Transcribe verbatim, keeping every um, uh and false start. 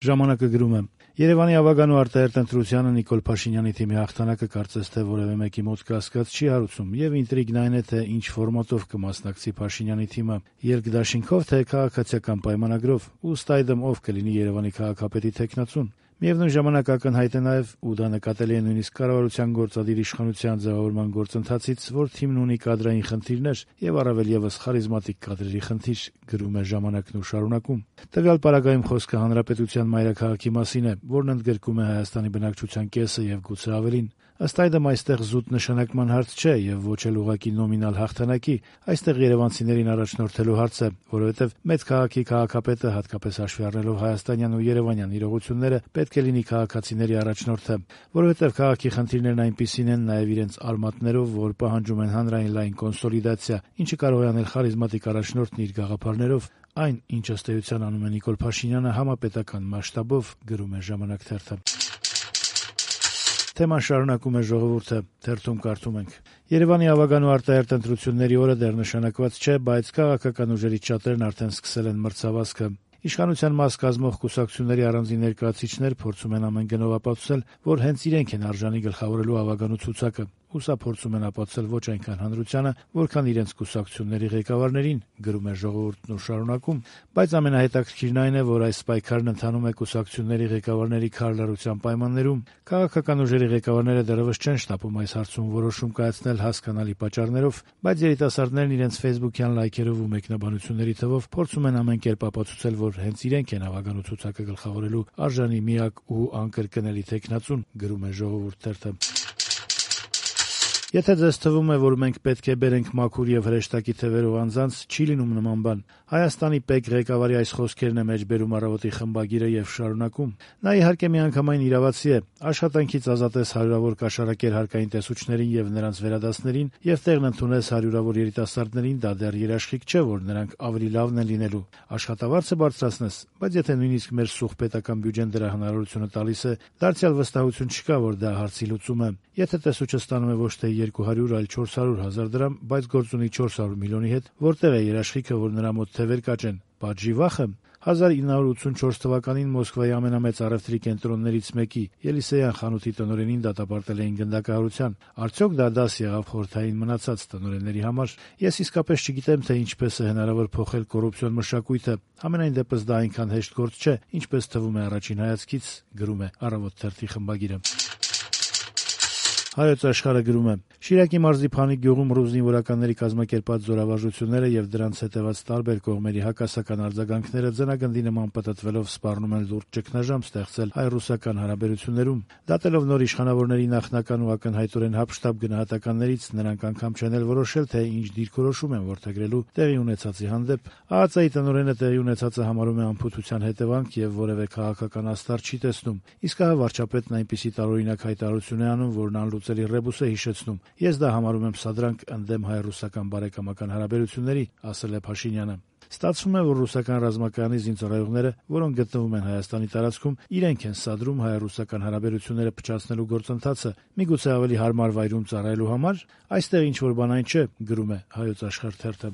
Ժամանակը գրում է. Երևանի ավագան ու արտահերտ ընտրությանը Նիկոլ Փաշինյանի թիմի հաղթանակը կարծես թե որևէ մեկի մոտ կասկած չի հարուցում, եւ ինտրիգն այն է, թե ինչ ֆորմատով կմասնակցի Փաշինյանի թիմը՝ երկդաշինքով, թե քաղաքացիական պայմանագրով, ու ըստ այդմ ով կլինի Երևանի քաղաքապետի թեկնածուն։ Միևնույն ժամանակ ակնհայտ է նաև, ու դա նկատելի է նույնիսկ կառավարության գործադիր իշխանության ձևավորման գործընթացից, որ թիմն ունի կադրային խնդիրներ եւ առավել եւս խարիզմատիկ կադրերի խնդիր, գրում է «Ժամանակն» ու շարունակում. Տվյալ պարագայում խոսքը հանրապետության մայրաքաղաքի մասին է, որն ընդգրկում է Հայաստանի բնակչության կեսը եւ գուցե ավելին։ Ըստ այդմ այստեղ զուտ նշանակման հարց չէ եւ ոչ էլ ուղղակի նոմինալ հաղթանակի, այստեղ երևանցիներին առաջնորդելու հարց է, որովհետեւ մեծ քաղաքի քաղաքապետը, հատկապես հաշվի առնելով հայաստանյան ու երևանյան իրողությունները, պետք է լինի քաղաքացիների առաջնորդը, որովհետեւ քաղաքի խնդիրներն այնպիսին են նաեւ իրենց արմատներով, որ պահանջում են հանրային լայն կոնսոլիդացիա, ինչը կարող է անել խարիզմատիկ առաջնորդն իր գաղափարներով, այն, ինչ ըստ էության անում է Նիկոլ Փաշինյանը համապետական մասշտաբով, գրում է «Ժամանակ» թերթը։ Թեման շարունակում է «Ժողովուրդը», թերթում կարդում ենք. Երևանի ավագան ու արտահերտ ընտրությունների օրը դեռ նշանակված չէ, բայց քաղաքական ուժերից շատերն արդեն սկսել են մրցավազքը։ Իշխանության մաս կազմող կուսակցությունների առանձին ներկայացուցիչներ փորձում են ամեն գնով ապացուցել, որ հենց իրենք են արժանի գլխավորելու ավագանու ցուցակը, ու սա փորձում են ապացուցել ոչ այնքան հանրությանը, որքան իրենց կուսակցությունների ղեկավարներին, գրում է «Ժողովուրդն» ու շարունակում, բայց ամենահետաքրքիրն այն է, որ այս պայքարն ընթանում է կուսակցությունների ղեկավարների քարլարության պայմաններում։ Քաղաքական ուժերի ղեկավարները դեռևս չեն շտապում այս հարցում որոշում կայացնել հասկանալի պատճառներով, բայց երիտասարդներն իրենց ֆեյսբուքյան լայքերով ու մեկնաբանությունների թվով փորձում են ամեն կերպ ապացուցել, որ հենց իրենք են ավագանու ցուցակը գլխավորելու արժանի միակ ու անկրկնելի թեկնածուն, գրում է «Ժողովուրդ» թերթը։ Եթե ձեզ թվում է, որ մենք պետք է բերենք մաքուր եւ հրեշտակի թևերով անձանց, չի լինում նման բան։ Հայաստանի ՊԵԿ ղեկավարի այս խոսքերն է մեջբերում «Առավոտի» խմբագիրը եւ շարունակում. Նա իհարկե միանգամայն իրավացի է, աշխատանքից ազատես հարյուրավոր կաշառակեր հարկային տեսուչներին եւ նրանց վերադասներին եւ տեղն ընդունես հարյուրավոր երիտասարդներին, դա դեռ երաշխիք չէ, որ նրանք ավելի լավն են լինելու։ Աշխատավարձը բարձրացնես, բայց եթե նույնիսկ մեր սուղ պետական բյուջեն դրա հնարավորությունը տալիս է, դարձյալ վստահություն չկա, որ դա հարցի լուծում է։ Եթե տեսուչը ստանում է ոչ թե երկու հարյուր, այլ չորս հարյուր հազար դրամ, բայց գործ ունի չորս հարյուր միլիոնի հետ, որտեղ է երաշխիքը, որ նրա մոտ թևեր կաճեն։ Պատժի վախը։ հազար ինը հարյուր ութսունչորս թվականին Մոսկվայի ամենամեծ առևտրի կենտրոններից մեկի Ելիսեյան խանութի տնօրենին դատապարտել էին գնդակահարության։ Արդյոք դա դաս եղավ խորհրդային մնացած տնօրենների համար։ Ես իսկապես չգիտեմ, թե ինչպես է հնարավոր փոխել կոռուպցիոն մշակույթը։ Համենայն դեպս դա այնքան հեշտ գործ չէ, ինչպես թվում է առաջին հայացքից, գրում է «Առավոտ» թերթի խմբագիրը։ Հայոց Աշխարհը գրում է. Շիրակի մարզի Փանիկ գյուղում ռուս զինվորականների կազմակերպած զորավարժությունները եւ դրանց հետեւած տարբեր կողմերի հակասական արձագանքները ձնագնդի նման պտտվելով սպառնում են լուրջ ճգնաժամ ստեղծել հայ-ռուսական հարաբերություններում։ Դատելով նոր իշխանավորների նախնական ու ակնհայտորեն հապշտապ գնահատականներից, նրանք անգամ չեն էլ որոշել, թե ինչ դիրքորոշում են որդեգրելու տեղի ունեցածի հանդեպ։ ԱԱԾ-ի տնօրենը տեղի ունեցածը համարում է անփութության հետևանք եւ որևէ քաղաքական աստար չի տեսնում։ Իսկ հա վարչապետն այնպիսի տարօրինակ հայտարարություն է անում, որն անլուծելի ռեբուս է հիշեցնում։ Ես դա համարում եմ սադրանք ընդդեմ հայ-ռուսական բարեկամական հարաբերությունների, ասել է Փաշինյանը։ Ստացվում է, որ ռուսական ռազմակայանի զինծառայողները, որոնք գտնվում են Հայաստանի տարածքում, իրենք են սադրում հայ-ռուսական հարաբերությունները փչացնելու գործընթացը, միգուցե ավելի հարմար վայրում ծառայելու համար։ Այստեղ ինչ որ բան այն չէ, գրում է Հայոց Աշխարհ թերթը։